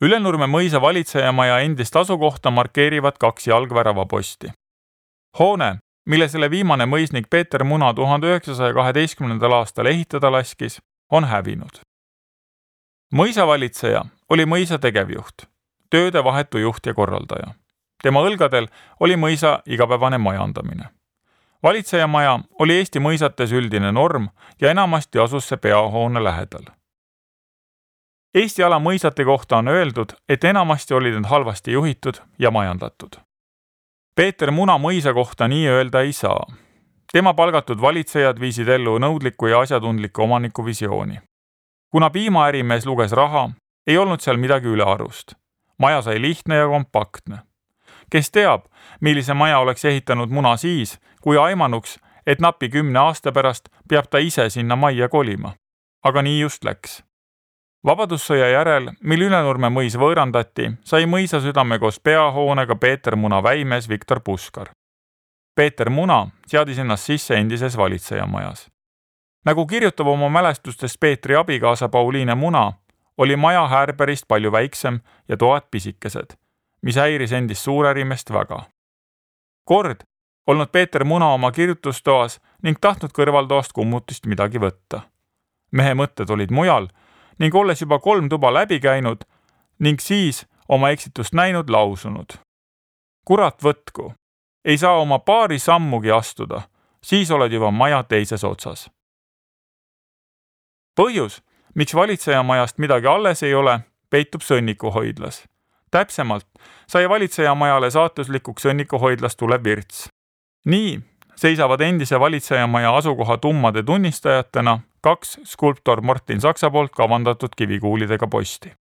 Ülenurme mõisa valitsejamaja endist asukohta markeerivad 2 jalgväravaposti. Hoone, mille selle viimane mõisnik Peeter Muna 1912. aastal ehitada laskis, on hävinud. Mõisavalitseja oli mõisa tegevjuht, tööde vahetu juht ja korraldaja. Tema õlgadel oli mõisa igapäevane majandamine. Valitsejamaja oli Eesti mõisates üldine norm ja enamasti asus see peahoone lähedal. Eesti ala mõisate kohta on öeldud, et enamasti olid need halvasti juhitud ja majandatud. Peeter Muna mõisa kohta nii öelda ei saa. Tema palgatud valitsejad viisid ellu nõudliku ja asjatundliku omaniku visiooni. Kuna piimaärimees luges raha, ei olnud seal midagi ülearust. Maja sai lihtne ja kompaktne. Kes teab, millise maja oleks ehitanud Muna siis, kui aimanuks, et napi 10 aasta pärast peab ta ise sinna majja kolima. Aga nii just läks. Vabadussõja järel, mil Ülenurme mõis võõrandati, sai mõisa südame koos peahoonega Peeter Muna väimees Viktor Puskar. Peeter Muna seadis ennast sisse endises valitsejamajas. Nagu kirjutab oma mälestustest Peetri abikaasa Pauliine Muna, oli maja häärberist palju väiksem ja toad pisikesed, mis häiris endist suurärimest väga. Kord olnud Peeter Muna oma kirjutustoas ning tahtnud kõrvaltoast kummutist midagi võtta. Mehe mõtted olid mujal ning olles juba 3 tuba läbi käinud ning siis oma eksitust näinud lausunud. Kurat võtku, ei saa oma paari sammugi astuda, siis oled juba maja teises otsas. Põhjus, miks valitsejamajast midagi alles ei ole, peitub Sõnnikuhoidlas. Täpsemalt sai valitsejamajale saatuslikuks Sõnnikuhoidlas tulev virts. Nii seisavad endise valitsejamaja asukoha tummade tunnistajatena 2 skulptor Martin Saksa poolt kavandatud kivikuulidega posti.